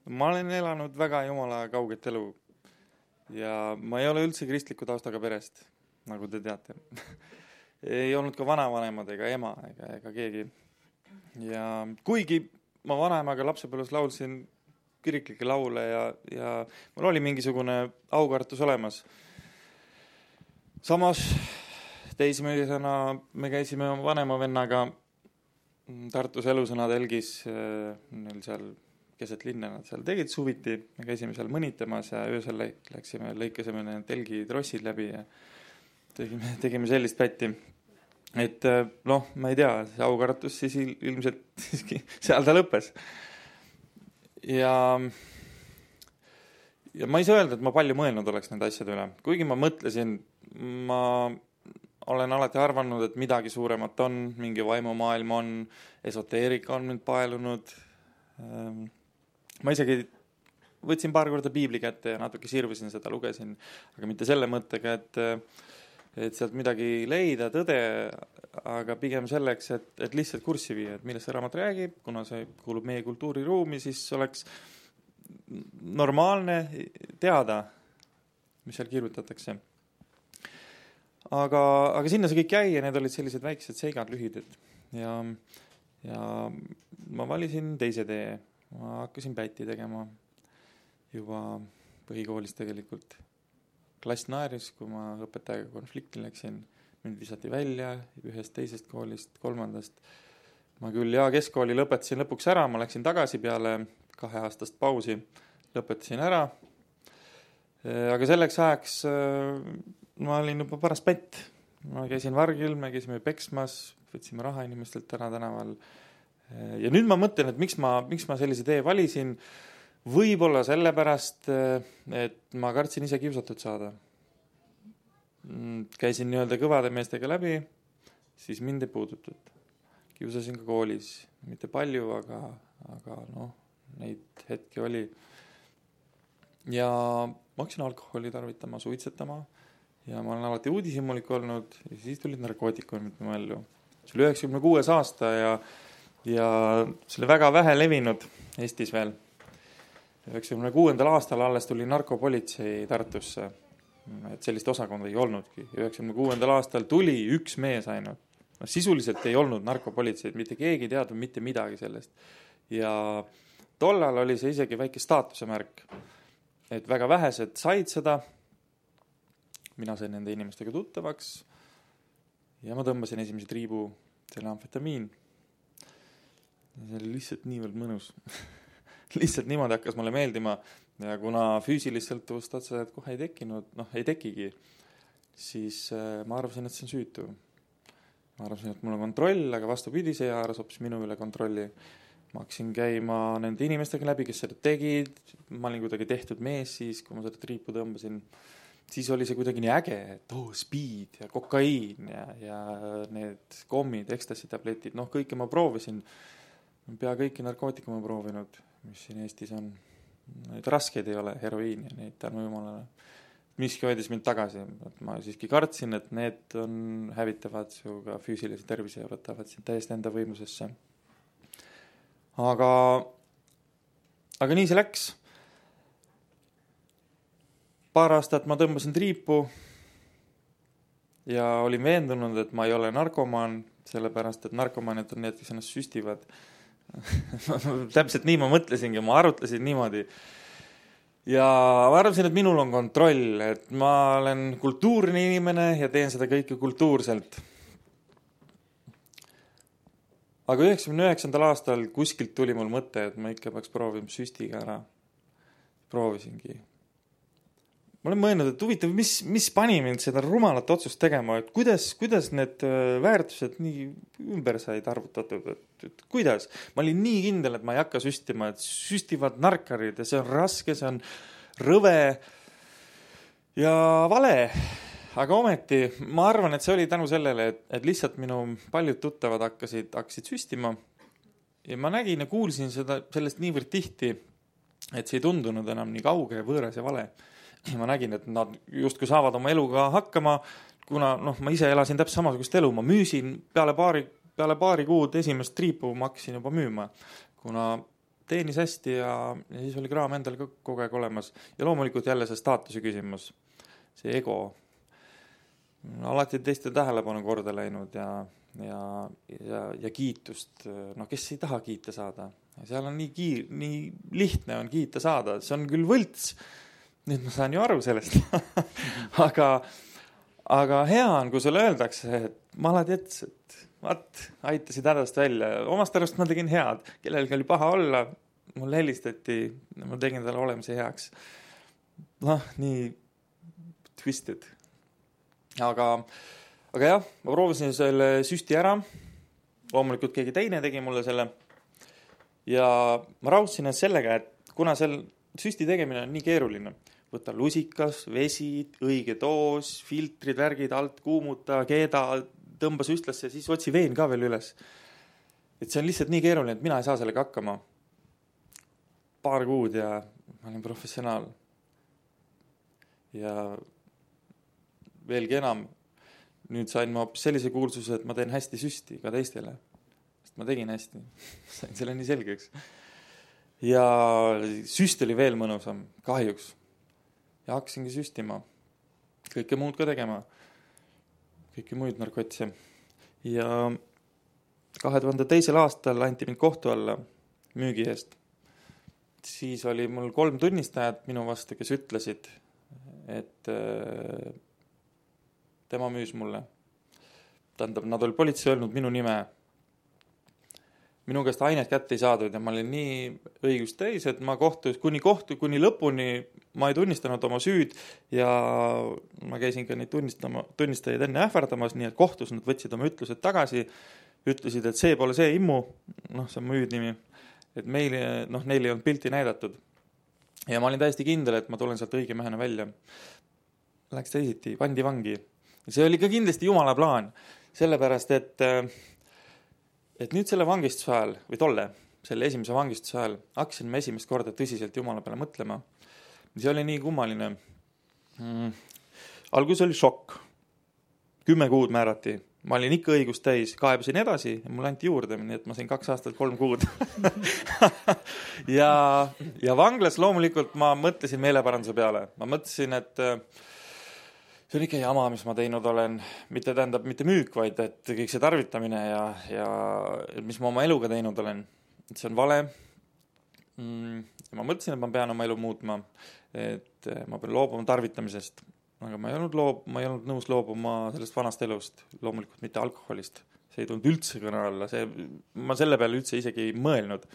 Ma olen elanud väga jumala kauget elu ja ma ei ole üldse kristliku taustaga perest, nagu te teate. Ei olnud ka vanavanemad ega ema ega keegi. Ja kuigi ma vanaemaga lapsepõlves laulsin kiriklikke laule ja mul oli mingisugune aukartus olemas. Samas teismelisena me käisime vanema vennaga Tartus Elusõna telgis, neil seal keset linna, nad seal tegid suviti, me käisime seal mõnitamas ja öösel läksime, lõikasime need telgi trossid läbi ja tegime sellist pätti. Et ma ei tea, see aukartus siis ilmselt siiski seal ta lõppes. Ja ma ei saa öelda, et ma palju mõelnud oleks nende asjade üle. Kuigi ma mõtlesin, ma olen alati arvanud, et midagi suuremat on, mingi vaimumaailm on, esoteerika on mind paelunud. Ma isegi võtsin paar korda piibli kätte ja natuke sirvisin seda, lugesin, aga mitte selle mõttega, et sealt midagi leida, tõde, aga pigem selleks, et lihtsalt kurssi viia, et millest see raamat räägib, kuna see kuulub meie kultuuriruumi, siis oleks normaalne teada, mis seal kirjutatakse. Aga sinna see kõik jäi ja need olid sellised väiksed seigad lühidad ja ma valisin teise tee. Ma hakkasin pätti tegema juba põhikoolis tegelikult. Klass naeris, kui ma õpetajaga konflikti läksin. Mind visati välja ühest teisest koolist, kolmandast. Ma küll keskkooli lõpetasin lõpuks ära, ma läksin tagasi peale 2 aastast pausi, lõpetasin ära. Aga selleks ajaks ma olin juba paras pätt. Ma käisin vargil, me käisime peksmas, võtsime raha inimestelt ära tänaval. Ja nüüd ma mõtlen, et miks ma sellise tee valisin, võib-olla sellepärast, et ma kartsin ise kiusatud saada. Käisin nii-öelda kõvade meestega läbi, siis mind ei puudutud. Kiusasin ka koolis, mitte palju, aga neid hetki oli. Ja ma hakkasin alkoholi tarvitama, suitsetama ja ma olen alati uudishimulik olnud ja siis tulid narkootikumid mu ellu. See oli 96 aasta ja see oli väga vähe levinud Eestis veel. 96. aastal alles tuli narkopolitsei Tartusse. Et sellist osakonda ei olnudki. 96. aastal tuli üks mees ainult. Sisuliselt ei olnud narkopolitseid, mitte keegi teadnud mitte midagi sellest. Ja tollal oli see isegi väike staatuse märk. Et väga vähesed said seda. Mina sain nende inimestega tuttavaks ja ma tõmbasin esimese triibu selle amfetamiin. See oli lihtsalt niivõrd mõnus. Lihtsalt niimoodi hakkas mulle meeldima ja kuna füüsilist sõltuvust otseselt kohe ei tekkinud, ei tekigi, siis ma arvasin, et see on süütu. Ma arvasin, et mul on kontroll, aga vastupidi, see haaras hoopis minu üle kontrolli. Ma hakkasin käima nende inimestega läbi, kes seda tegid. Ma olin kuidagi tehtud mees siis, kui ma seda triipu tõmbasin. Siis oli see kuidagi nii äge, et speed ja kokaiin ja need kommid, ekstasi tabletid, kõike ma proovisin. Pea kõiki narkootikume proovinud, mis siin Eestis on. Neid raskeid ei ole, heroiin ja neid tänu jumalale. Miski hoidis mind tagasi. Ma siiski kartsin, et need hävitavad suga füüsilise tervise ja võtavad sind täiesti enda võimusesse. Aga nii see läks. Paar aastat ma tõmbasin triipu ja olin veendunud, et ma ei ole narkomaan, sellepärast, et narkomaanid on need, kes ennast süstivad. Täpselt nii ma mõtlesingi, ma arutlesin niimoodi. Ja ma arvasin, et minul on kontroll, et ma olen kultuurne inimene ja teen seda kõike kultuurselt. Aga 99. aastal kuskilt tuli mul mõte, et ma ikka peaks proovima süstiga ära. Proovisingi. Ma olen mõelnud, et huvitav, mis pani mind seda rumalat otsust tegema, et kuidas need väärtused nii ümber said arvutatud, et kuidas? Ma olin nii kindel, et ma ei hakka süstima, et süstivad narkarid ja see on raske, see on rõve ja vale. Aga ometi, ma arvan, et see oli tänu sellele, et lihtsalt minu paljud tuttavad hakkasid süstima ja ma nägin ja kuulsin sellest niivõrd tihti, et see ei tundunud enam nii kauge, võõras ja vale. Ja ma nägin, et nad justkui saavad oma eluga hakkama, kuna ma ise elasin täpselt samasugust elu. Ma müüsin peale paari kuud esimest triipu, ma hakkasin juba müüma, kuna teenis hästi ja siis oli kraam endal ka kogu aeg olemas. Ja loomulikult jälle see staatuse küsimus, see ego. Alati teiste tähelepanu korda läinud ja kiitust. No kes ei taha kiita saada? Seal on nii lihtne on kiita saada. See on küll võlts. Nüüd ma saan ju aru sellest. aga hea on, kui sulle öeldakse, et maladets, et aitasid hädast välja. Omast arvast ma tegin head. Kellelgi oli paha olla, mul helistati, ma tegin talle olemise heaks. Nii twisted. Aga jah, ma proovisin selle süsti ära. Loomulikult keegi teine tegi mulle selle. Ja ma raudsin ennast sellega, et kuna seal süsti tegemine on nii keeruline, võtta lusikas, vesi, õige doos, filtrid, värgid, alt kuumuta, keeda, tõmba süstlasse ja siis otsi veen ka veel üles. Et see on lihtsalt nii keeruline, et mina ei saa sellega hakkama. Paar kuud ja ma olin professionaal. Ja veelgi enam, nüüd sain ma sellise kuulsuse, et ma teen hästi süsti ka teistele. Sest ma tegin hästi. Sain selle nii selgeks. Ja süst oli veel mõnusam, kahjuks. Ja hakkasingi süstima. Kõike muud ka tegema. Kõike muid narkotse. Ja 2002. aastal anti mind kohtu alla müügi eest. Siis oli mul 3 tunnistajat minu vastu, kes ütlesid, et tema müüs mulle. Tähendab, nad oli politsei öelnud minu nime. Minu käest ainet kätte ei saadud ja ma olin nii õigust täis, et ma kuni lõpuni ma ei tunnistanud oma süüd ja ma käisin ka neid tunnistajaid enne ähvardamas, nii et kohtus nad võtsid oma ütlused tagasi, ütlesid, et see pole see immu, see on mu hüüdnimi, et neile ei olnud pilti näidatud. Ja ma olin täiesti kindel, et ma tulen sealt õige mehena välja. Läks teisiti, pandi vangi. See oli ka kindlasti Jumala plaan, sellepärast, et nüüd selle vangistuse ajal, või selle esimese vangistuse ajal, hakkasin ma esimest korda tõsiselt Jumala peale mõtlema. See oli nii kummaline. Algus oli šokk. 10 kuud määrati. Ma olin ikka õigust täis, kaebasin edasi ja mul anti juurde, nii et ma sain 2 aastat 3 kuud. ja vanglas loomulikult ma mõtlesin meeleparanduse peale. Ma mõtlesin, et see on ikka jama, mis ma teinud olen. Mitte müük, vaid et kõik see tarvitamine ja mis ma oma eluga teinud olen. Et see on vale. Ma mõtlesin, et ma pean oma elu muutma. Et ma pean loobuma tarvitamisest. Aga ma ei olnud nõus loobuma sellest vanast elust. Loomulikult mitte alkoholist. See ei tulnud üldse kõne alla. Ma selle peale üldse isegi ei mõelnud.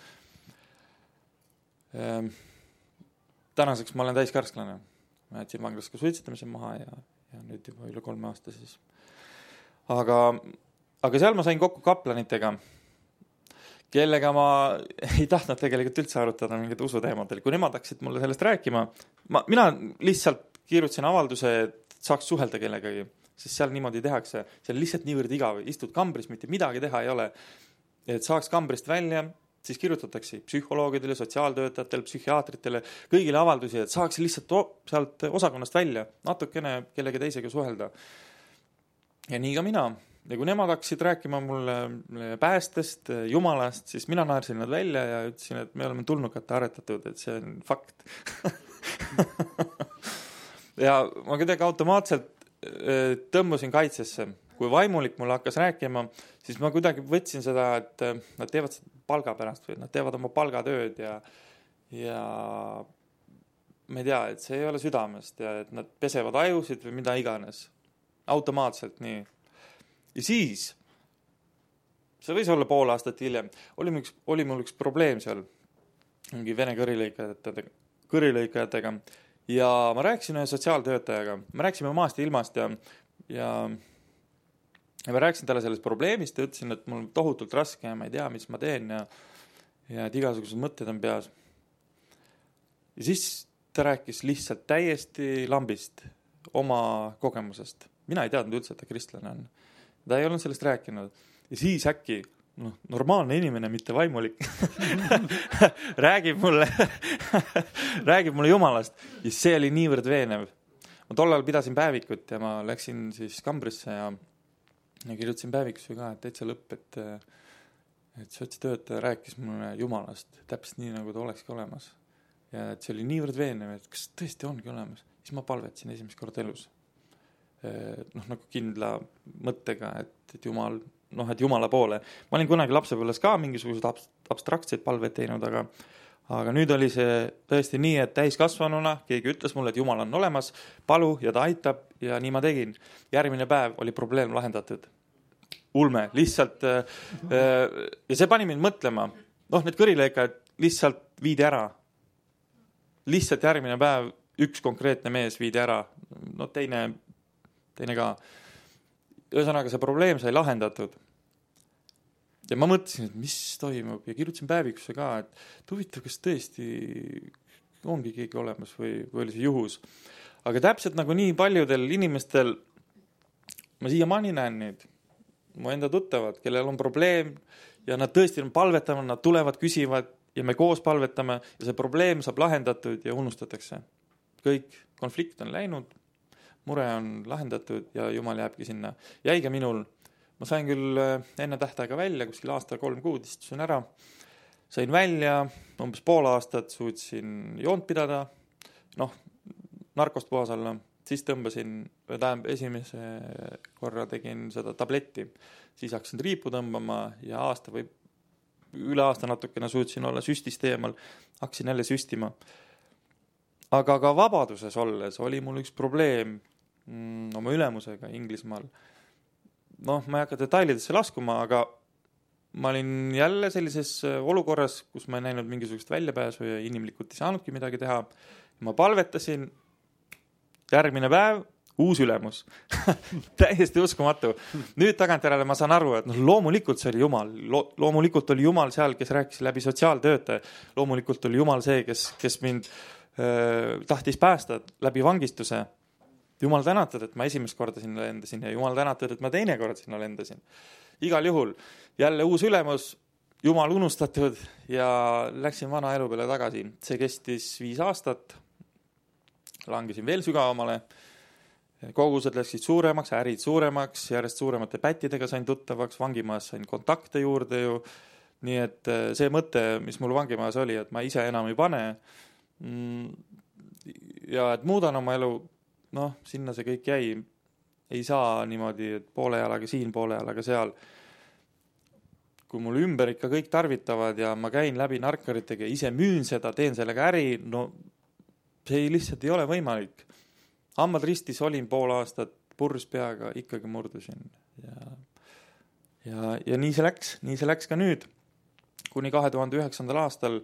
Tänaseks ma olen täiskarsklane. Ma jätsin vanglas ka suitsetamise maha ja nüüd juba üle 3 aasta siis. Aga seal ma sain kokku kaplanitega, kellega ma ei tahtnud tegelikult üldse arutada mingid usuteemadel. Kui nemad hakkasid mulle sellest rääkima, mina lihtsalt kirjutasin avalduse, et saaks suhelda kellegagi, sest seal niimoodi tehakse. See on lihtsalt niivõrd igav. Istud kambris, mitte midagi teha ei ole. Et saaks kambrist välja, siis kirjutatakse psühholoogidele, sotsiaaltöötajatele, psühhiaatritele, kõigile avaldusi, et saaks lihtsalt sealt osakonnast välja, natukene kellegi teisega suhelda. Ja nii ka mina. Ja kui nemad hakkasid rääkima mulle päästest, jumalast, siis mina naersin nad välja ja ütlesin, et me oleme tulnukate aretatud, et see on fakt. Ja ma kuidagi automaatselt tõmbusin kaitsesse. Kui vaimulik mulle hakkas rääkima, siis ma kuidagi võtsin seda, et nad teevad palga pärast või nad teevad oma palgatööd ja ma ei tea, et see ei ole südamest ja et nad pesevad ajusid või mida iganes. Automaatselt nii. Ja siis, see võis olla pool aastat hiljem, oli mul üks probleem seal mingi vene kõrilõikajatega ja ma rääkisin ühe sotsiaaltöötajaga. Me rääkisime maast ja ilmast ja ma rääkisin talle sellest probleemist ja ütlesin, et mul on tohutult raske ja ma ei tea, mis ma teen ja et igasugused mõtted on peas. Ja siis ta rääkis lihtsalt täiesti lambist oma kogemusest. Mina ei teadnud üldse, et ta kristlane on. Ta ei olnud sellest rääkinud. Ja siis äkki, normaalne inimene, mitte vaimulik, räägib mulle Jumalast. Ja see oli niivõrd veenev. Ma tollal pidasin päevikut ja ma läksin siis kambrisse ja kirjutasin päevikusse ka, et täitsa lõpp, et sotsitöötaja rääkis mulle Jumalast täpselt nii, nagu ta olekski olemas. Ja et see oli niivõrd veenev, et kas tõesti ongi olemas. Siis ma palvetasin esimest korda elus. Nagu kindla mõttega, et Jumal, et Jumala poole. Ma olin kunagi lapsepõlves ka mingisugused abstraktseid palveid teinud, aga nüüd oli see tõesti nii, et täiskasvanuna keegi ütles mulle, et Jumal on olemas, palu ja ta aitab ja nii ma tegin. Järgmine päev oli probleem lahendatud. Ulme, lihtsalt ja see pani mind mõtlema. Need kõrilõikad lihtsalt viidi ära. Lihtsalt järgmine päev üks konkreetne mees viidi ära. Teine ka. Ühesõnaga see probleem sai lahendatud. Ja ma mõtlesin, et mis toimub ja kirjutasin päevikusse ka, et huvitav, kas tõesti ongi keegi olemas või oli see juhus. Aga täpselt nagu nii paljudel inimestel ma siiamaani näen neid, mu enda tuttavad, kellel on probleem ja nad tõesti on palvetama, nad tulevad, küsivad ja me koos palvetame ja see probleem saab lahendatud ja unustatakse. Kõik konflikt on läinud, mure on lahendatud ja Jumal jääbki sinna. Jäiga minul, ma sain küll enne tähtaega välja, kuskil aasta 3 kuud istusin ära, sain välja, umbes pool aastat suutsin joont pidada, narkost puhas olla, siis tõmbasin, esimese korra tegin seda tabletti, siis hakkasin riipu tõmbama ja aasta või üle aasta natukene suutsin olla süstist eemal, hakkasin jälle süstima. Aga ka vabaduses olles oli mul üks probleem oma ülemusega Inglismaal. Ma ei hakka detailidesse laskuma, aga ma olin jälle sellises olukorras, kus ma ei näinud mingisugust väljapääsu ja inimlikult ei saanudki midagi teha. Ma palvetasin, järgmine päev, uus ülemus. Täiesti uskumatu. Nüüd tagantjärele ma saan aru, et loomulikult see oli Jumal. Loomulikult oli Jumal seal, kes rääkis läbi sotsiaaltöötaja. Loomulikult oli Jumal see, kes mind tahtis päästa läbi vangistuse. Jumal tänatud, et ma esimest korda sinna lendasin ja Jumal tänatud, et ma teine kord sinna lendasin. Igal juhul jälle uus ülemus, Jumal unustatud ja läksin vana elu peale tagasi. See kestis 5 aastat. Langesin veel sügavamale. Kogused läksid suuremaks, ärid suuremaks, järjest suuremate pättidega sain tuttavaks, vangimaas sain kontakte juurde ju. Nii et see mõte, mis mul vangimaas oli, et ma ise enam ei pane ja et muudan oma elu, sinna see kõik jäi. Ei saa niimoodi, et poole jalaga siin, poole jalaga seal. Kui mul ümber ikka kõik tarvitavad ja ma käin läbi narkaritega ja ise müün seda, teen sellega äri, see lihtsalt ei ole võimalik. Hambad ristis olin pool aastat, purrs peaga, ikkagi murdusin. Ja nii see läks ka nüüd. Kuni 2009. aastal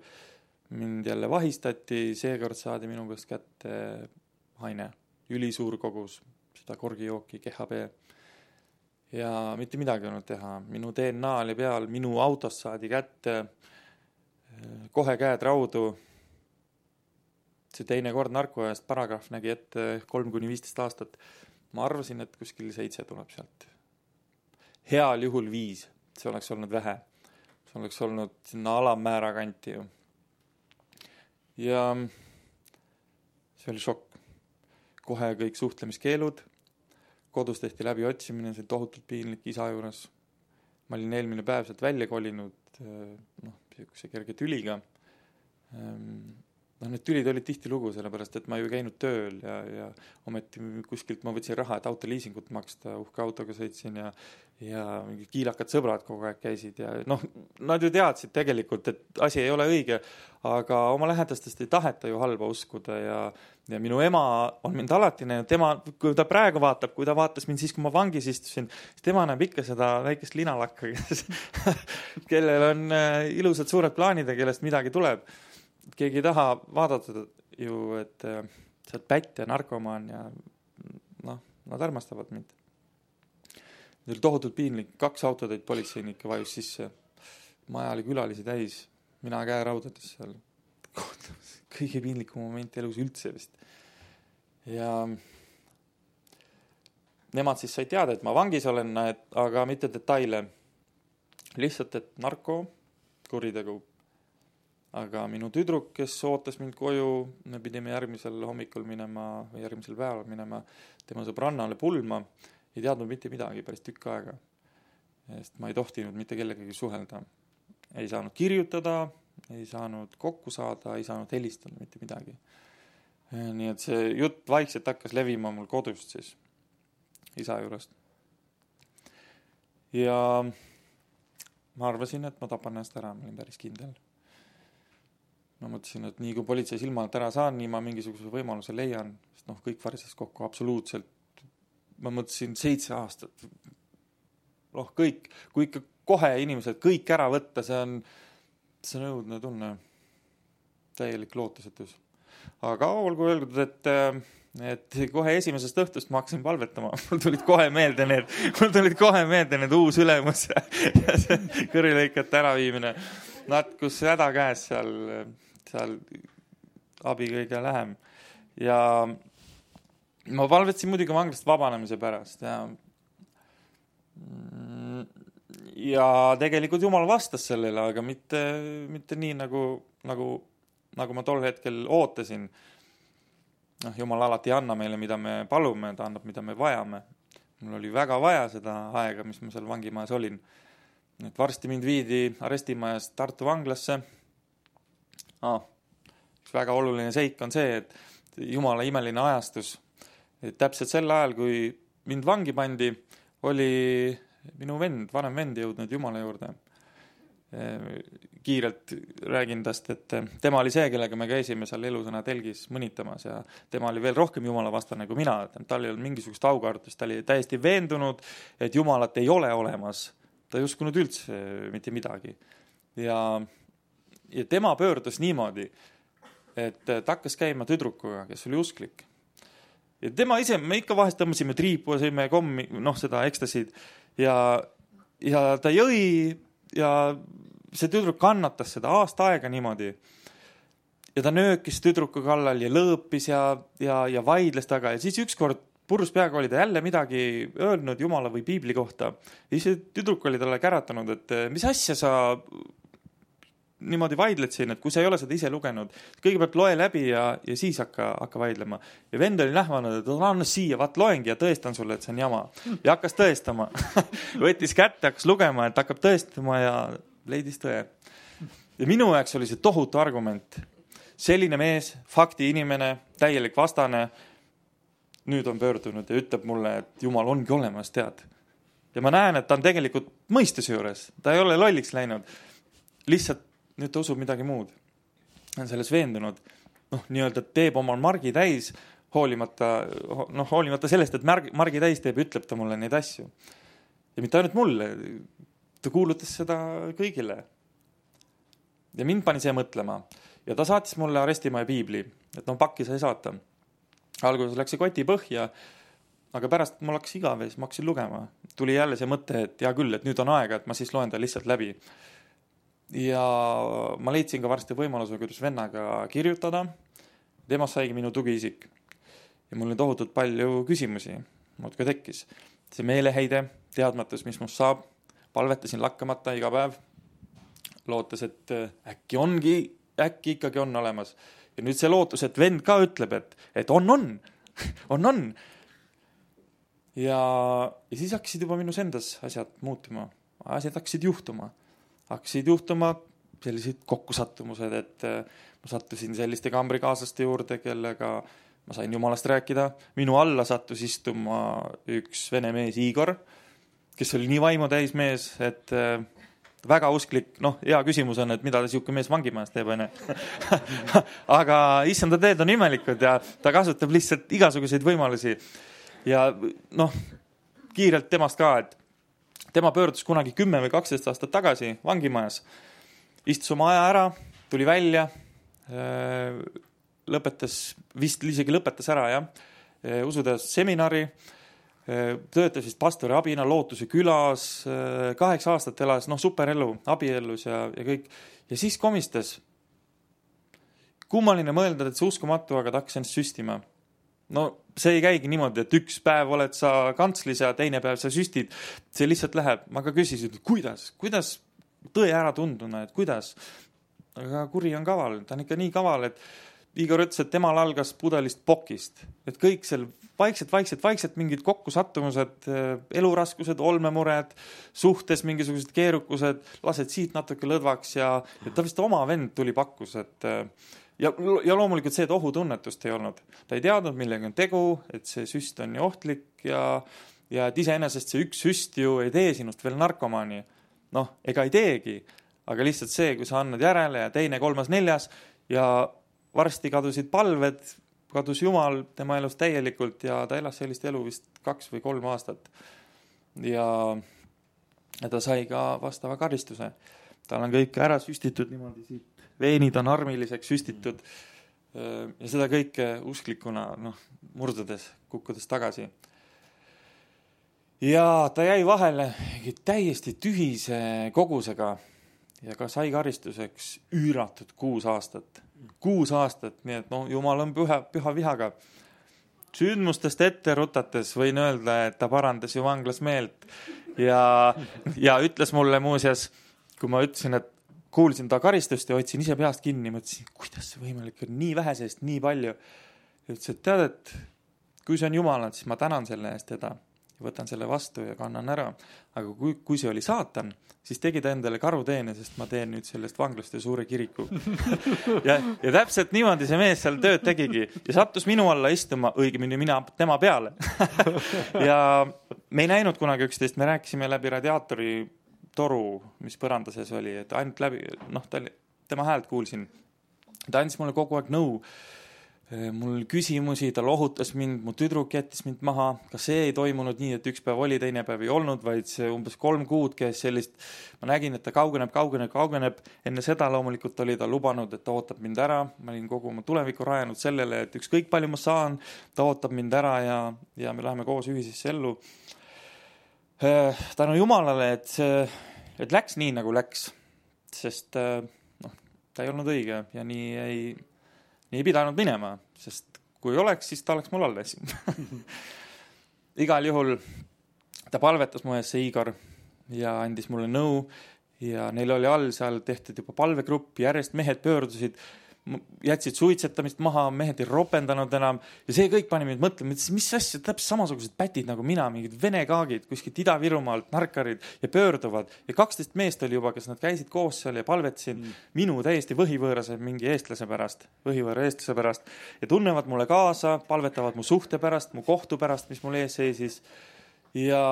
mind jälle vahistati, seekord saadi minu käest kätte haine, ülisuur kogus, seda korgijooki, GHB. Ja mitte midagi olnud teha. Minu DNA oli peal, minu autost saadi kätte, kohe käed raudu. See teine kord narkoajast paragrahv nägi ette 3-15 aastat. Ma arvasin, et kuskil 7 tuleb sealt. Heal juhul 5, see oleks olnud vähe. See oleks olnud sinna alammäära kanti ju. Ja see oli šokk. Kohe kõik suhtlemiskeelud, kodus tehti läbi otsimine, see tohutult piinlik isa juures. Ma olin eelmine päev sealt välja kolinud, see kerge tüliga. Need tülid olid tihti lugu, sellepärast, et ma ju käinud tööl ja ometi kuskilt ma võtsin raha, et autoliisingut maksta, uhke autoga sõitsin ja mingid kiilakad sõbrad kogu aeg käisid ja nad ju teadsid tegelikult, et asi ei ole õige, aga oma lähedastest ei taheta ju halba uskuda ja minu ema on mind alati näinud, kui ta praegu vaatab, kui ta vaatas mind siis, kui ma vangis istusin, siis tema näeb ikka seda väikest linalakka, kellel on ilusad suured plaanid ja kellest midagi tuleb. Keegi ei taha vaadata ju, et sealt pätt ja narkomaan ja nad armastavad mind. See oli tohutult piinlik, 2 autoteid politseinikke vajus sisse. Maja oli külalisi täis, mina käe raudades seal. Kõige piinlikum moment elus üldse vist. Ja nemad siis sai teada, et ma vangis olen, aga mitte detaile. Lihtsalt, et narko, kuritegu. Aga minu tüdruk, kes ootas mind koju, me pidime järgmisel hommikul minema või järgmisel päeval minema tema sõbrannale pulma, ei teadnud mitte midagi päris tükk aega. Sest ma ei tohtinud mitte kellegagi suhelda. ei saanud kirjutada, ei saanud kokku saada, ei saanud helistada mitte midagi. Nii et see jutt vaikselt hakkas levima mul kodust siis, isa juurest. Ja ma arvasin, et ma tapan ennast ära, ma olin päris kindel. Ma mõtlesin, et nii kui politsei silma alt ära saan, nii ma mingisuguse võimaluse leian, sest kõik varises kokku absoluutselt. Ma mõtlesin 7 aastat. Kõik, kui ikka kohe inimesed kõik ära võtta, see on õudne tunne, täielik lootusetus. Aga olgu öeldud, et kohe esimesest õhtust ma hakkasin palvetama. Mul tulid kohe meelde need uus ülemus ja see kõrilõikete äraviimine. Kus häda käes seal abi kõige lähem. Ja ma palvetasin muidugi vanglast vabanemise pärast ja tegelikult Jumal vastas sellele, aga mitte nii nagu ma tol hetkel ootasin. Jumal alati ei anna meile, mida me palume, ta annab, mida me vajame. Mul oli väga vaja seda aega, mis ma seal vangimajas olin. Et varsti mind viidi arestimajast Tartu vanglasse. Üks väga oluline seik on see, et Jumala imeline ajastus. Et täpselt sel ajal, kui mind vangi pandi, oli minu vanem vend jõudnud Jumala juurde. Kiirelt räägin tast, et tema oli see, kellega me käisime seal elusõna telgis mõnitamas ja tema oli veel rohkem Jumala vastane kui mina. Tal ei olnud mingisugust aukartust, ta oli täiesti veendunud, et Jumalat ei ole olemas. Ta ei uskunud üldse mitte midagi. Ja tema pöördus niimoodi, et ta hakkas käima tüdrukuga, kes oli usklik. Ja tema ise, me ikka vahest tõmbasime triipu ja sõime kommi, seda ekstasid ja ta jõi ja see tüdruk kannatas seda aasta aega niimoodi. Ja ta nöökis tüdruku kallal ja lõõpis ja vaidles taga. Ja siis ükskord purus peaga oli ta jälle midagi öelnud Jumala või Piibli kohta. Ja siis tüdruk oli talle käratanud, et mis asja sa niimoodi vaidled siin, et kui sa ei ole seda ise lugenud, kõigepealt loe läbi ja siis hakka vaidlema. Ja vend oli nähvanud, et anna siia, vaat loengi ja tõestan sulle, et see on jama. Ja hakkas tõestama. Võttis kätte, hakkas lugema, et hakkab tõestama ja leidis tõe. Ja minu jaoks oli see tohutu argument. Selline mees, fakti inimene, täielik vastane, nüüd on pöördunud ja ütleb mulle, et Jumal ongi olemas, tead. Ja ma näen, et ta on tegelikult mõistuse juures. Ta ei ole lolliks läinud. Lihtsalt nüüd ta usub midagi muud. On selles veendunud. Nii-öelda teeb omal margi täis, hoolimata sellest, et margi täis teeb, ütleb ta mulle neid asju. Ja mitte ainult mulle. Ta kuulutas seda kõigile. Ja mind pani see mõtlema. Ja ta saatis mulle arestimaja Piibli, et pakki sai saata. Alguses läks see koti põhja, aga pärast mul hakkas igaves, ma hakkasin lugema. Tuli jälle see mõte, et hea küll, et nüüd on aega, et ma siis loen ta lihtsalt läbi. Ja ma leidsin ka varsti võimaluse, kuidas vennaga kirjutada. Temast saigi minu tugiisik. Ja mul oli tohutult palju küsimusi. Muudki tekkis. See meeleheide, teadmatus, mis must saab. Palvetasin lakkamata iga päev. Lootes, et äkki ikkagi on olemas. Ja nüüd see lootus, et vend ka ütleb, et on. Ja siis hakkasid juba minus endas asjad muutuma. Asjad hakkasid juhtuma sellised kokkusattumused, et ma sattusin selliste kambrikaaslaste juurde, kellega ma sain Jumalast rääkida. Minu alla sattus istuma üks vene mees Igor, kes oli nii vaimu täis mees, et väga usklik. Hea küsimus on, et mida ta siuke mees vangimajas teeb, on. Aga issanda teed on imelikud ja ta kasutab lihtsalt igasuguseid võimalusi. Ja kiirelt temast ka, et tema pöördus kunagi 10 või 12 aastat tagasi vangimajas. Istus oma aja ära, tuli välja, vist isegi lõpetas ära, usudes seminari, töötas vist pastori abina Lootuse külas, 8 aastat elas, superelu, abiellus ja kõik. Ja siis komistas. Kummaline mõelda, et see uskumatu, aga ta hakkas ennast süstima. See ei käigi niimoodi, et üks päev oled sa kantslis ja teine päev sa süstid. See lihtsalt läheb. Ma ka küsisin, et kuidas tõe ära tunduna, et kuidas. Aga kuri on kaval. Ta on ikka nii kaval, et Igor ütles, et temal algas pudelist pokist, et kõik seal vaikselt mingid kokkusattumused, eluraskused, olmemured, suhtes mingisugused keerukused, lased siit natuke lõdvaks ja ta vist oma vend tuli pakkus, et ja loomulikult see, et ohutunnetust ei olnud. Ta ei teadnud, millega on tegu, et see süst on nii ohtlik ja et iseenesest see üks süst ju ei tee sinust veel narkomaani. Noh, ega ei teegi, aga lihtsalt see, kui sa annad järele ja teine, kolmas, neljas ja varsti kadusid palved, kadus Jumal tema elus täielikult ja ta elas sellist elu vist 2 või 3 aastat. Ja ta sai ka vastava karistuse. Tal on kõik ära süstitud niimoodi siit. Veenid on armiliseks süstitud ja seda kõike usklikuna murdudes, kukkudes tagasi. Ja ta jäi vahele täiesti tühise kogusega ja ka sai karistuseks üüratud 6 aastat. 6 aastat, nii et Jumal on püha vihaga. Sündmustest ette rutates võin öelda, et ta parandas ju vanglas meelt ja ütles mulle muuseas, kui ma ütlesin, et kuulsin ta karistust ja otsin ise peast kinni, mõtlesin, kuidas see võimalik on, nii vähe seest, nii palju. Ja ütles, et tead, et kui see on Jumalad, siis ma tänan selle eest teda. Võtan selle vastu ja kannan ära. Aga kui see oli saatan, siis tegi ta endale karuteene, sest ma teen nüüd sellest vanglast ja suure kiriku. ja täpselt niimoodi see mees seal tööd tegigi. Ja sattus minu alla istuma, õigemini mina tema peale. ja me ei näinud kunagi üksteist, me rääkisime läbi radiaatori toru, mis põranda sees oli, et ainult läbi, tema häält kuulsin. Ta andis mulle kogu aeg nõu. Mul küsimusi, ta lohutas mind, mu tüdruk jättis mind maha. Ka see ei toimunud nii, et üks päev oli, teine päev ei olnud, vaid see umbes 3 kuud käis sellist. Ma nägin, et ta kaugeneb. Enne seda loomulikult oli ta lubanud, et ta ootab mind ära. Ma olin kogu oma tuleviku rajanud sellele, et ükskõik palju ma saan, ta ootab mind ära ja me läheme koos ühisesse ellu. Tänu Jumalale, et läks nii, nagu läks. Sest ta ei olnud õige ja nii ei pidanud minema, sest kui oleks, siis ta oleks mul alles. Igal juhul ta palvetas mu ees see Igor ja andis mulle nõu ja neil oli all seal tehtud juba palvegrupp, järjest mehed pöördusid, jätsid suitsetamist maha, mehed ei ropendanud enam ja see kõik pani mind mõtlema, mis asja, täpselt samasugused pätid nagu mina, mingid vene kaagid, kuskilt Ida-Virumaalt, narkarid ja pöörduvad ja 12 meest oli juba, kes nad käisid koos seal ja palvetasid minu täiesti võhivõõrase mingi eestlase pärast ja tunnevad mulle kaasa, palvetavad mu suhte pärast, mu kohtu pärast, mis mul ees seisis ja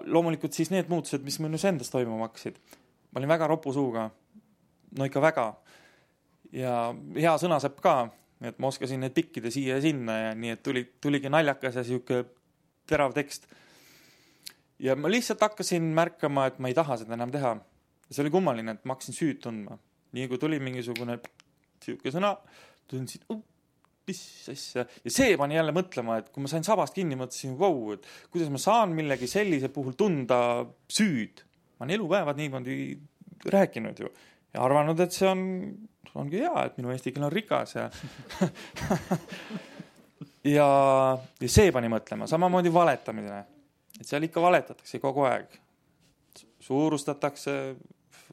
loomulikult siis need muutused, mis minus endas toimuma hakkasid. Ma olin väga ropu suuga, no ikka väga. Ja hea sõnasepp ka, et ma oskasin need pikkida siia ja sinna ja nii, et tuligi naljakas ja siuke terav tekst. Ja ma lihtsalt hakkasin märkama, et ma ei taha seda enam teha. Ja see oli kummaline, et ma hakkasin süüd tundma. Nii kui tuli mingisugune siuke sõna, tundsin, mis asja. Ja see pani jälle mõtlema, et kui ma sain sabast kinni, mõtlesin, et kuidas ma saan millegi sellise puhul tunda süüd. Ma olen elupäevad niimoodi rääkinud ju. Ja arvanud, et see ongi hea, et minu eesti keel on rikas ja see pani mõtlema, samamoodi valetamine, et seal ikka valetatakse kogu aeg, suurustatakse,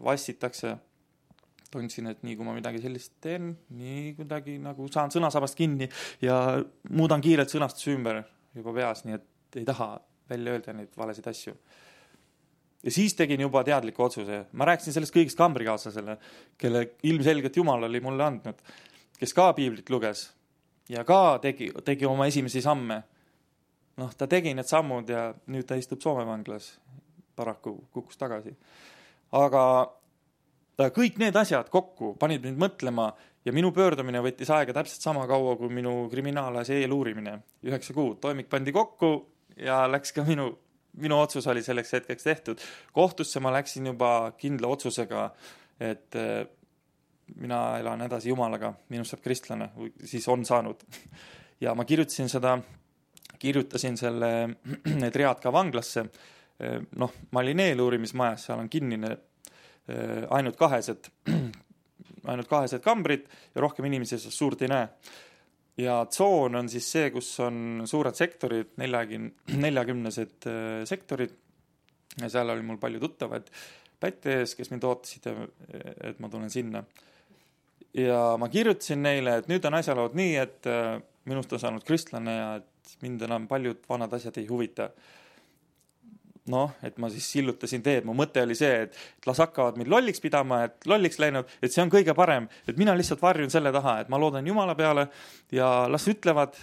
vassitakse. Tundsin, et nii kui ma midagi sellist teen, nii kuidagi nagu saan sõnasabast kinni ja muudan kiirelt sõnastuse ümber juba peas, nii et ei taha välja öelda neid valesid asju. Ja siis tegin juba teadliku otsuse. Ma rääkisin sellest kõigist kambrikaaslasele, kelle ilmselgelt Jumal oli mulle andnud, kes ka piiblit luges ja ka tegi oma esimesi samme. Ta tegi need sammud ja nüüd ta istub Soome vanglas. Paraku kukkus tagasi. Aga kõik need asjad kokku panid mind mõtlema ja minu pöördumine võttis aega täpselt sama kaua kui minu kriminaalasja eeluurimine. 9 kuud. Toimik pandi kokku ja läks ka minu otsus oli selleks hetkeks tehtud. Kohtusse ma läksin juba kindla otsusega, et mina elan edasi Jumalaga, minust saab kristlane, siis on saanud. Ja ma kirjutasin need read ka vanglasse. Ma olin eeluurimismajas, seal on kinnine ainult kahesed kambrid ja rohkem inimesi suurt ei näe. Ja tsoon on siis see, kus on suured sektorid, 40 sektorid. Ja seal oli mul palju tuttavad pätte ees, kes mind ootasid, et ma tulen sinna. ja ma kirjutasin neile, et nüüd on asjalood nii, et minust on saanud kristlane ja et mind enam paljud vanad asjad ei huvita. Noh, et ma siis sillutasin teed, mu mõte oli see, et las hakkavad mind lolliks pidama, et lolliks läinud, et see on kõige parem, et mina lihtsalt varjun selle taha, et ma loodan Jumala peale ja las ütlevad,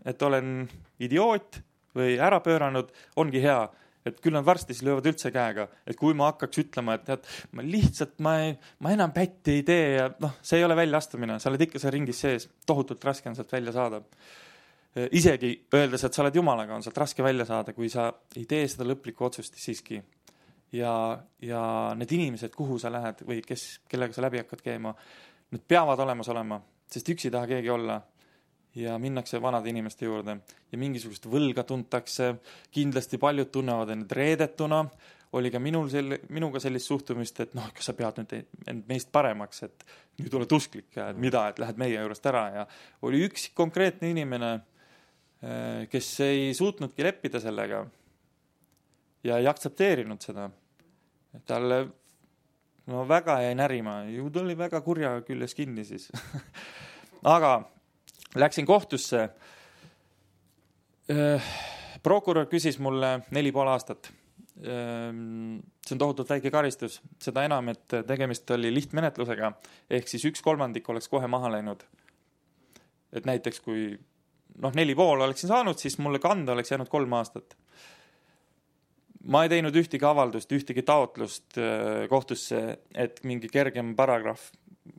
et olen idioot või ära pööranud, ongi hea, et küll nad varsti siis löövad üldse käega, et kui ma hakkaks ütlema, et tead, ma enam pätti ei tee ja noh, see ei ole väljaastumine, sa oled ikka see ringis sees, tohutult raske on sealt välja saada. Isegi öeldes, et sa oled Jumalaga, on sealt raske välja saada, kui sa ei tee seda lõplikku otsust siiski. Ja need inimesed, kuhu sa lähed või kellega sa läbi hakkad käima, need peavad olemas olema, sest üksi ei taha keegi olla. Ja minnakse vanade inimeste juurde ja mingisugust võlga tuntakse, kindlasti paljud tunnevad end reedetuna, oli ka minuga sellist suhtumist, et noh, kas sa pead nüüd meist paremaks, et nüüd oled usklik ja et mida, et lähed meie juurest ära ja oli üks konkreetne inimene, kes ei suutnudki leppida sellega ja ei aktsepteerinud seda. Talle väga jäi närima, ju ta oli väga kurja küljes kinni siis. Aga läksin kohtusse. Prokurör küsis mulle 4,5 aastat. See on tohutult väike karistus. Seda enam, et tegemist oli lihtmenetlusega, ehk siis 1/3 oleks kohe maha läinud. Et näiteks kui 4,5 oleksin saanud, siis mulle kanda oleks jäänud 3 aastat. Ma ei teinud ühtegi avaldust, ühtegi taotlust kohtusse, et mingi kergem paragrahv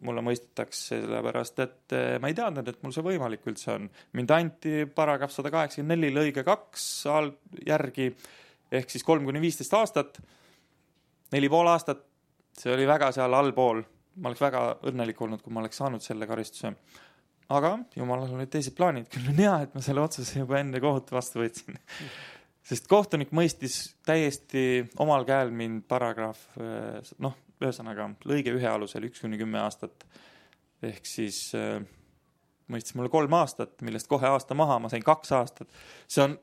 mulle mõistetaks, sellepärast, et ma ei teadnud, et mul see võimalik üldse on. Mind anti paragrahv 184 lõige 2 järgi, ehk siis 3-15 aastat, 4,5 aastat, see oli väga seal allpool. Ma oleks väga õnnelik olnud, kui ma oleks saanud selle karistuse. Aga Jumalal olid teised plaanid, küll on hea, et ma selle otsuse juba enne kohut vastu võtsin. Sest kohtunik mõistis täiesti omal käel mind paragrahv, ühesõnaga, lõige 1 alusel 1-10 aastat. Ehk siis mõistis mulle 3 aastat, millest kohe aasta maha, ma sain 2 aastat. See on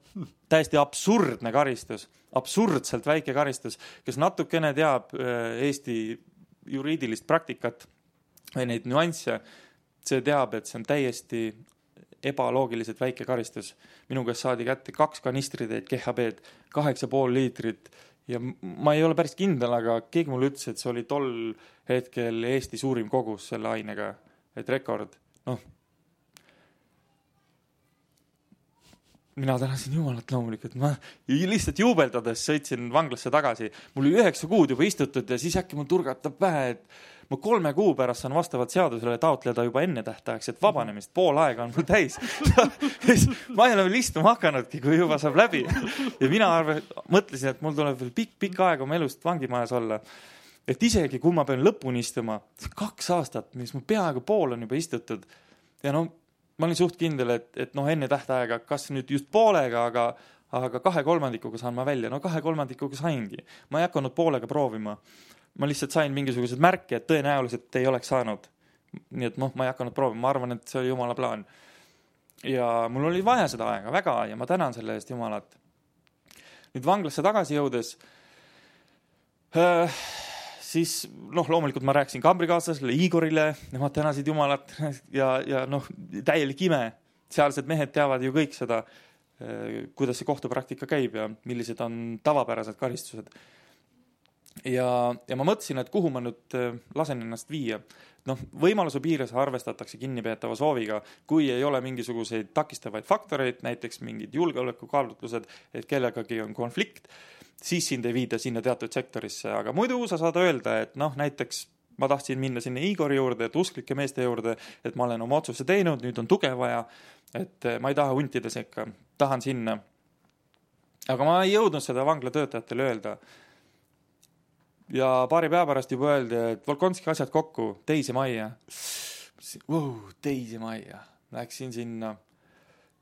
täiesti absurdne karistus, absurdselt väike karistus, kes natukene teab Eesti juriidilist praktikat või neid nüansse, see teab, et see on täiesti ebaloogiliselt väike karistus. Minu käest saadi kätte 2 kanistritäit GHB-d, 8,5 liitrit ja ma ei ole päris kindel, aga keegi mulle ütles, et see oli tol hetkel Eesti suurim kogus selle ainega, et rekord. Mina tänasin Jumalat loomulikult, ma lihtsalt juubeldades sõitsin vanglasse tagasi. Mul oli 9 kuud juba istutud ja siis äkki mul turgatab pähe, et ma 3 kuu pärast saan vastavalt seadusele taotleda juba enne tähtajaks, et vabanemist, pool aega on mul täis. Ma ei ole veel istuma hakanudki, kui juba saab läbi. Ja mina mõtlesin, et mul tuleb veel pikk aeg oma elust vangimajas olla. Et isegi kui ma pean lõpuni istuma, 2 aastat, mis mu peaaegu pool on juba istutud ja ma olin suht kindel, et enne tähtaega, kas nüüd just poolega, aga 2/3 saan ma välja. 2/3 saingi. Ma ei hakanud poolega proovima. Ma lihtsalt sain mingisugused märke, et tõenäoliselt ei oleks saanud. Nii et ma ei hakanud proovima. Ma arvan, et see oli Jumala plaan. Ja mul oli vaja seda aega väga ja ma tänan selle eest Jumalat. Nüüd vanglasse tagasi jõudes siis loomulikult ma rääkisin kambrikaaslasele, Igorile, nemad tänasid Jumalat ja täielik ime. Sealsed mehed teavad ju kõik seda, kuidas see kohtupraktika käib ja millised on tavapärased karistused. Ja ma mõtlesin, et kuhu ma nüüd lasen ennast viia. Võimaluse piires arvestatakse kinnipeetava sooviga, kui ei ole mingisuguseid takistavaid faktoreid, näiteks mingid julgeolekukaalutlused, et kellegagi on konflikt, siis sind ei viida sinna teatud sektorisse. Aga muidu sa saad öelda, et näiteks ma tahtsin minna sinna Igori juurde, et usklike meeste juurde, et ma olen oma otsuse teinud, nüüd on tuge vaja, et ma ei taha huntida sekka, tahan sinna. Aga ma ei jõudnud seda vanglatöötajatele öelda. Ja paari päeva pärast juba öeldi, et Volkonski asjad kokku, teise majja. Teise majja. Läksin sinna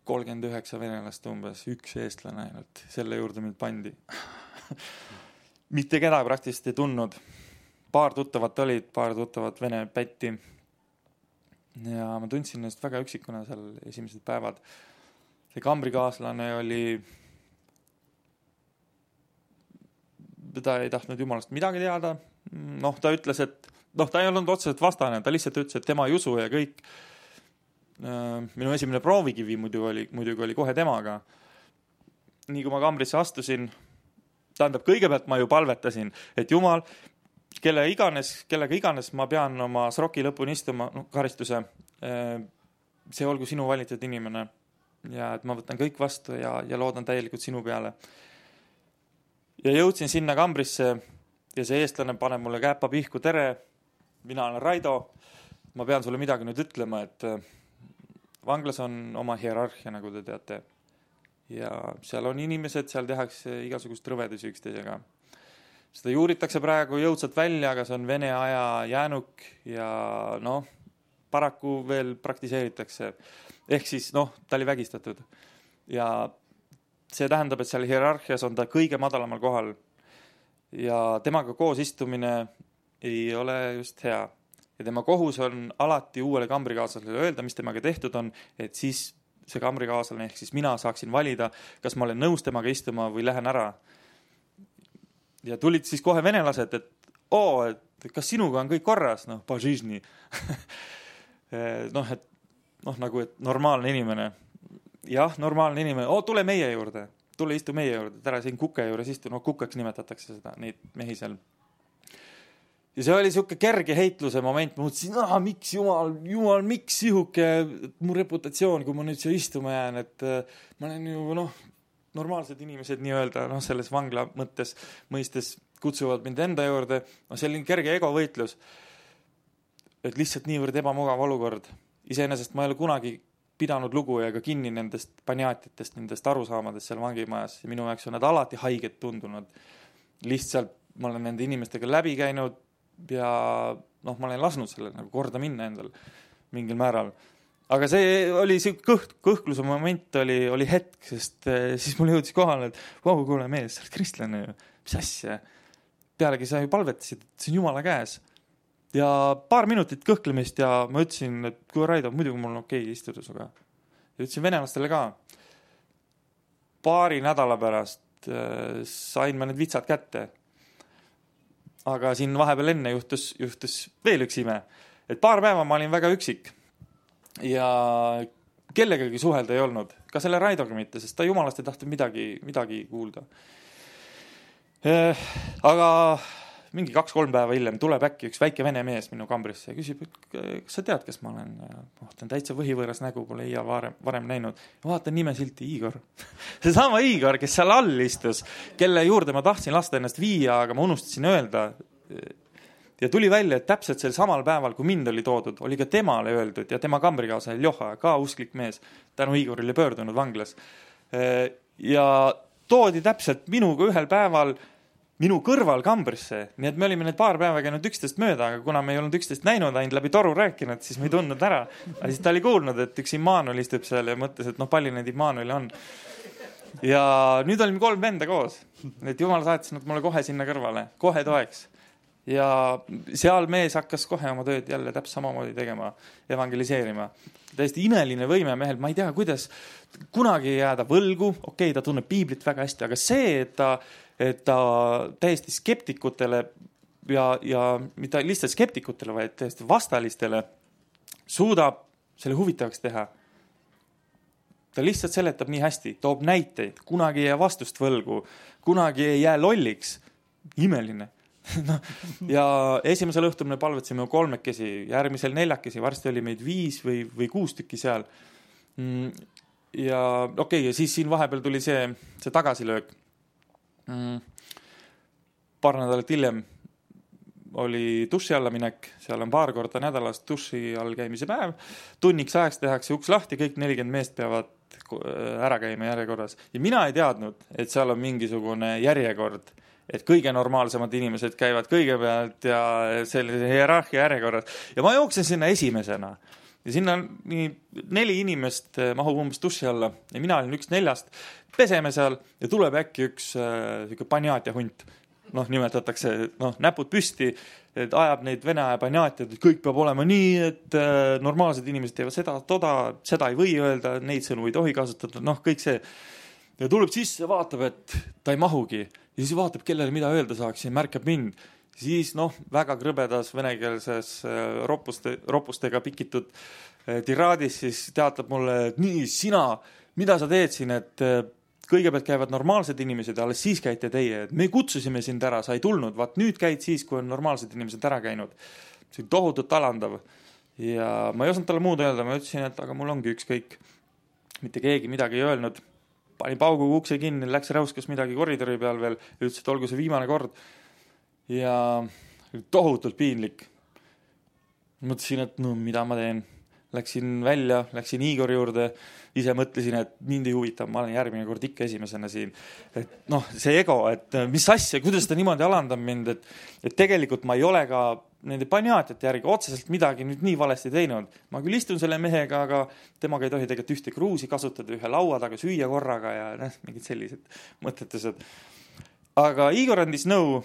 39 venelast umbes, 1 eestlane ainult. Selle juurde mind pandi. Mitte kedagi praktiliselt ei tundnud. Paar tuttavat olid, paar tuttavat vene pätti. Ja ma tundsin ennast väga üksikuna seal esimesed päevad. See kambrikaaslane oli... Ta ei tahtnud Jumalast midagi teada. Ta ütles, et ta ei olnud otseselt vastane, ta lihtsalt ütles, et tema ei usu ja kõik. Minu esimene proovikivi muidugi oli kohe temaga. Nii kui ma kambrisse astusin, tähendab, kõigepealt ma ju palvetasin, et Jumal, kellega iganes ma pean oma sroki lõpuni istuma, karistuse, see olgu sinu valitud inimene ja et ma võtan kõik vastu ja loodan täielikult sinu peale. Ja jõudsin sinna kambrisse ja see eestlane paneb mulle käpa pihku, tere, mina olen Raido, ma pean sulle midagi nüüd ütlema, et vanglas on oma hierarhia, nagu te teate. Ja seal on inimesed, seal tehakse igasugust rõvedusi üksteisega. Seda juuritakse praegu jõudsalt välja, aga see on Vene aja jäänuk ja paraku veel praktiseeritakse. Ehk siis, ta oli vägistatud. Ja see tähendab, et seal hierarhias on ta kõige madalamal kohal. Ja temaga koos istumine ei ole just hea. Ja tema kohus on alati uuele kambrikaaslasele öelda, mis temaga tehtud on, et siis see kambrikaaslane, ehk siis mina saaksin valida, kas ma olen nõus temaga istuma või lähen ära. Ja tulid siis kohe venelased, et kas sinuga on kõik korras? Pažižni. Nagu, et normaalne inimene. Jah, normaalne inimene. Tule meie juurde. Tule istu meie juurde. Tära siin kuke juures istu. Kukeks nimetatakse seda, neid mehi seal. Ja see oli siuke kerge heitluse moment. Ma mõtlesin, miks Jumal, miks sihuke mu reputatsioon, kui ma nüüd siia istuma jään, et ma olen ju, normaalsed inimesed nii-öelda, selles vangla mõistes kutsuvad mind enda juurde. See oli kerge egovõitlus. Et lihtsalt niivõrd ebamugav olukord. Iseenesest ma ei ole kunagi pidanud lugu ja ka kinni nendest paniaatitest, nendest arusaamadest seal vangimajas. Ja minu jaoks on nad alati haiged tundunud. Lihtsalt ma olen nende inimestega läbi käinud ja ma olen lasknud selle nagu korda minna endal mingil määral. Aga see oli see kõhkluse moment oli hetk, sest siis mul jõudis kohale, et kuule mees, sa oled kristlane ju, mis asja? Pealegi sa ju palvetasid, et see on Jumala käes. Ja paar minutit kõhklemist ja ma ütlesin, et kui Raido, muidugi mul on okei istuda suga. Ja ütlesin venelastele ka. Paari nädala pärast sain ma need vitsad kätte. Aga siin vahepeal enne juhtus veel üks ime. Et paar päeva ma olin väga üksik ja kellegagi suhelda ei olnud. Ka selle Raidoga mitte, sest ta Jumalast ei tahtnud midagi kuulda. Aga mingi 2-3 päeva hiljem tuleb äkki üks väike vene mees minu kambrisse ja küsib, kas sa tead, kes ma olen? Ta on täitsa võhivõõras nägu, pole iial varem näinud. Vaatan nimesilti Igor. See sama Igor, kes seal all istus, kelle juurde ma tahtsin lasta ennast viia, aga ma unustasin öelda. Ja tuli välja, et täpselt sel samal päeval, kui mind oli toodud, oli ka temale öeldud ja tema kambrikaasa Ljoha, ka usklik mees, tänu Igorile pöördunud vanglas. Ja toodi täpselt minuga ühel päeval minu kõrval kambrisse, nii et me olime need paar päeva käinud 11 mööda, aga kuna me ei olnud 11 näinud, ainult läbi toru rääkinud, siis me ei tundnud ära. Aga siis ta oli kuulnud, et üks Immanuel istub seal ja mõtles, et palju neid Immanueli on. Ja nüüd olime 3 venda koos, et Jumal saatis nad mulle kohe sinna kõrvale, kohe toeks. Ja seal mees hakkas kohe oma tööd jälle täpselt samamoodi tegema, evangeliseerima. Täiesti imeline võime mehel, ma ei tea, kuidas kunagi jääda võlgu, okei, ta tunneb piiblit väga hästi, aga see, et ta täiesti skeptikutele ja mitte lihtsalt skeptikutele, vaid täiesti vastalistele suudab selle huvitavaks teha. Ta lihtsalt seletab nii hästi, toob näiteid, kunagi ei jää vastust võlgu, kunagi ei jää lolliks. Imeline. Ja esimesel õhtul me palvetsime 3, järgmisel 4, varsti oli meid 5 või 6 tükki seal. Ja okei, ja siis siin vahepeal tuli see tagasilöök. Paar nädalat hiljem oli duši alla minek, seal on paar korda nädalas duši all käimise päev, tunniks ajaks tehakse uks lahti, kõik 40 meest peavad ära käima järjekorras. Ja mina ei teadnud, et seal on mingisugune järjekord, et kõige normaalsemad inimesed käivad kõigepealt ja sellise hierarhia järjekorras. Ja ma jooksen sinna esimesena. Ja sinna 4 inimest mahub umbes duši alla ja mina olin üks 4, peseme seal ja tuleb äkki üks paniaatja hunt. Nimetatakse, näpud püsti, et ajab neid vene aja paniaatjad, et kõik peab olema nii, et normaalsed inimesed teevad seda ei või öelda, neid sõnu ei tohi kasutada, kõik see. Ja tuleb sisse, vaatab, et ta ei mahugi. Ja siis vaatab, kellele mida öelda saaks ja märkab mind. Siis väga krõbedas venekeelses ropustega pikitud tiraadis siis teatab mulle, et nii, sina, mida sa teed siin, et kõigepealt käivad normaalsed inimesed ja alles siis käite teie, et me kutsusime sind ära, sa ei tulnud, vaat nüüd käid siis, kui on normaalsed inimesed ära käinud. See on tohutult alandav ja ma ei osanud talle muud öelda, ma ütlesin, et aga mul ongi ükskõik, mitte keegi midagi ei öelnud. Pani paugu ukse kinni, läks räuskas midagi koridori peal veel, ütles, et olgu see viimane kord. Ja tohutult piinlik. Mõtlesin, et mida ma teen. Läksin välja, läksin Igori juurde, ise mõtlesin, et mind ei huvita, ma olen järgmine kord ikka esimesena siin. Et see ego, et mis asja, kuidas ta niimoodi alandab mind, et tegelikult ma ei ole ka nende paniaatiate järgi otseselt midagi nüüd nii valesti teinud. Ma küll istun selle mehega, aga temaga ei tohi tegelikult ühte kruusi kasutada, ühe laua taga süüa korraga ja mingid sellised mõtetused. Aga Igor andis nõu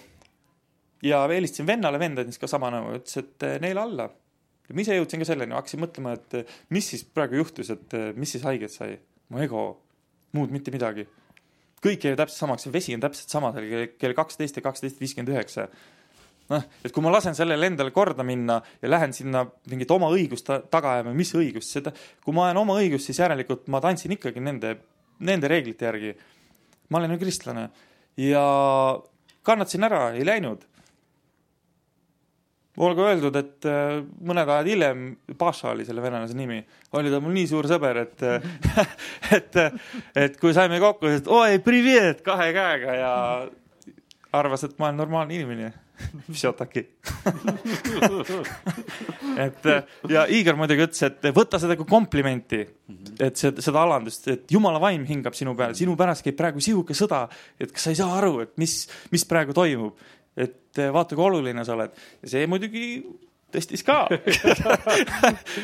ja eelistasin vennale, vend andis ka sama nõu, ütles, et neile alla. Ja ma ise jõudsin ka selleni, hakkasin mõtlema, et mis siis praegu juhtus, et mis siis haiget sai. Mu ego, muud mitte midagi. Kõik jäi täpselt samaks, vesi on täpselt sama kell 12 ja 12.59. Et kui ma lasen sellele endale korda minna ja lähen sinna mingit oma õigust taga ajama, mis õigust seda, kui ma ajan oma õigust, siis järelikult ma tantsin ikkagi nende reeglite järgi. Ma olen ju kristlane ja kannatasin ära, ei läinud. Olgu öeldud, et mõned ajad hiljem, Paša oli selle venelase nimi, oli ta mul nii suur sõber, et kui saime kokku, et oi, privet, 2 käega ja arvas, et ma olen normaalne inimene. Psjotaki. Ja Igor muidugi ütles, et võta seda kui komplimenti, et seda alandust, et Jumala vaim hingab sinu peal, sinu pärast käib praegu sihuke sõda, et kas sa ei saa aru, et mis praegu toimub, et vaata, kui oluline sa oled. Ja see muidugi tõstis ka.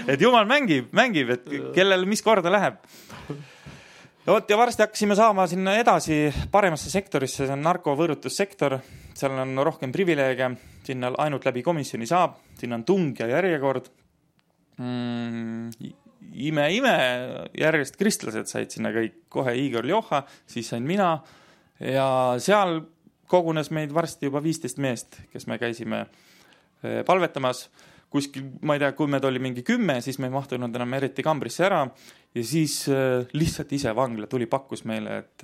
Et Jumal mängib, et kellele mis korda läheb. Ja varsti hakkasime saama sinna edasi paremasse sektorisse, see on narkovõõrutussektor, seal on rohkem privileege, sinna ainult läbi komisjoni saab, sinna on tung ja järjekord. Ime, järjest kristlased said sinna kõik, kohe Igor Ljoha, siis sain mina ja seal kogunes meid varsti juba 15 meest, kes me käisime palvetamas. Kuskil, ma ei tea, kui meid oli mingi 10, siis me ei mahtunud enam eriti kambrisse ära ja siis lihtsalt ise vangla tuli pakkus meile, et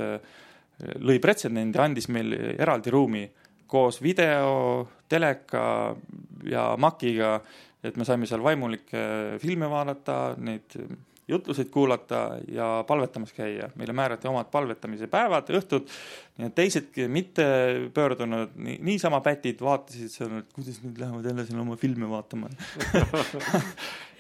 lõi pretsedendi, andis meil eraldi ruumi koos video, teleka ja makiga, et me saime seal vaimulikke filme vaadata, neid jutluseid kuulata ja palvetamas käia. Meile määrati omad palvetamise päevad, õhtud, ja teisedki mitte pöördunud, niisama pätid vaatasid seal, et kuidas nüüd lähevad jälle siin oma filme vaatama.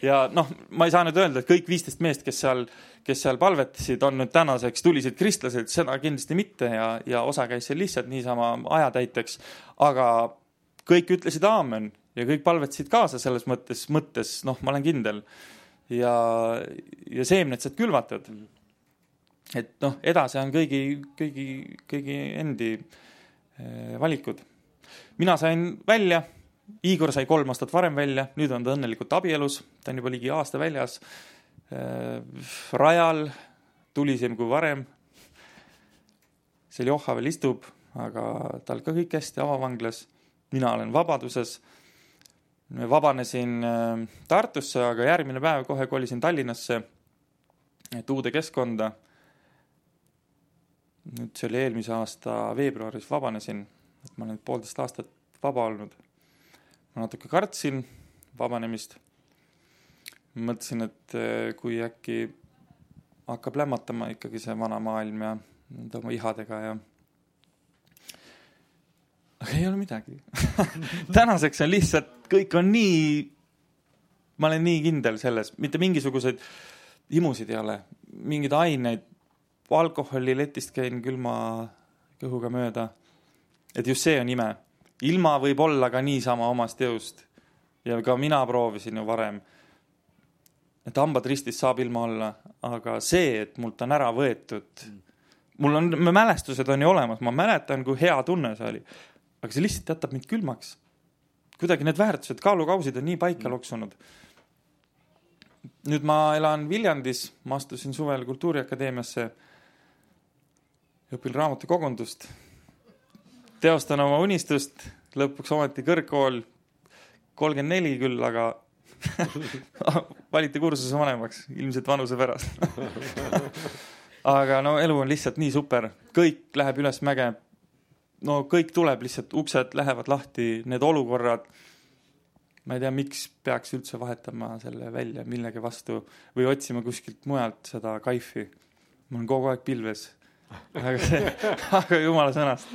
Ja ma ei saa nüüd öelda, et kõik 15 meest, kes seal palvetasid, on nüüd tänaseks tulisid kristlased, seda kindlasti mitte ja osa käis seal lihtsalt niisama ajatäiteks, aga kõik ütlesid aamen ja kõik palvetasid kaasa selles mõttes, ma olen kindel. Ja seemned saad külvatud. Et edasi on kõigi endi valikud. Mina sain välja, Igor sai 3 aastat varem välja, nüüd on ta õnnelikult abielus, ta on juba ligi aasta väljas, rajal, tulisem kui varem. See Ljoha veel istub, aga tal ka kõik hästi avavanglas. Mina olen vabaduses. Vabanesin Tartusse, aga järgmine päev kohe kolisin Tallinnasse, et uude keskkonda. Nüüd see oli eelmise aasta veebruaris vabanesin, et ma olen 1,5 aastat vaba olnud. Ma natuke kartsin vabanemist. Mõtlesin, et kui äkki hakkab lämmatama ikkagi see vana maailm ja oma ihadega ja aga ei ole midagi. Tänaseks on lihtsalt, kõik on nii, ma olen nii kindel selles, mitte mingisuguseid imusid ei ole, mingid aineid, alkoholi letist käin külma kõhuga mööda, et just see on ime. Ilma võib olla ka niisama omast jõust ja ka mina proovisin ju varem, et hambad ristis saab ilma olla, aga see, et mult on ära võetud, mälestused on ju olemas, ma mäletan, kui hea tunne see oli. Aga see lihtsalt jätab mind külmaks. Kuidagi need väärtused, kaalukausid on nii paika loksunud. Nüüd ma elan Viljandis, ma astusin suvel Kultuuriakadeemiasse, õpin raamatukogundust, teostan oma unistust lõpuks ometi kõrgkool 34 küll, aga valiti kursuse vanemaks, ilmselt vanuse pärast. Aga no elu on lihtsalt nii super, kõik läheb üles mäge, no kõik tuleb lihtsalt, uksed lähevad lahti, need olukorrad, ma ei tea, miks peaks üldse vahetama selle välja millegi vastu või otsima kuskilt mujalt seda kaifi. Mul on kogu aeg pilves, aga jumala sõnast.